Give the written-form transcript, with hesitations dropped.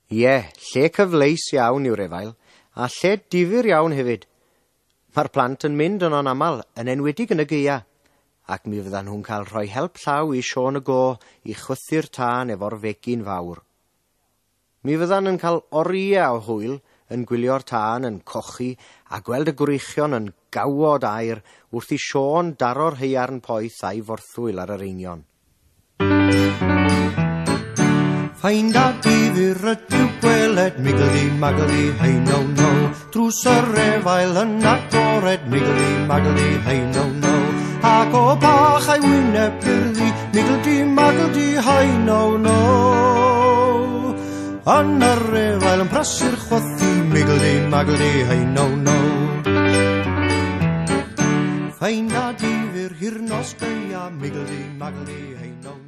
Ie, lle cyfleus iawn yw'r efail, a lle difyr iawn hefyd. Mae'r plant yn mynd yno'n aml, yn enwedig yn y gaea, ac mi fyddan nhw'n cael rhoi help llaw i Siôn y Go i chwythu'r tân efo'r fegin fawr. Mi fyddan yn cael oriau o hwyl yn gwylio'r tân yn cochi a gweld y gwreichion yn gawod aer wrth i Siôn daro'r haearn poeth a'i forthwyl ar yr eingion. Ffeind a difyr ydyw gweled, miggledy maggledy hey no no. Drws yr efail yn agored, miggledy maggledy hey no no. Ac o bach a'i wyneb gerddi, miggledy maggledy hey no no. Yn yr efail yn prysur chwythu, miggledy maggledy hey no no. Ffeind a difyr hir nos gaea, miggledy maggledy hey no no.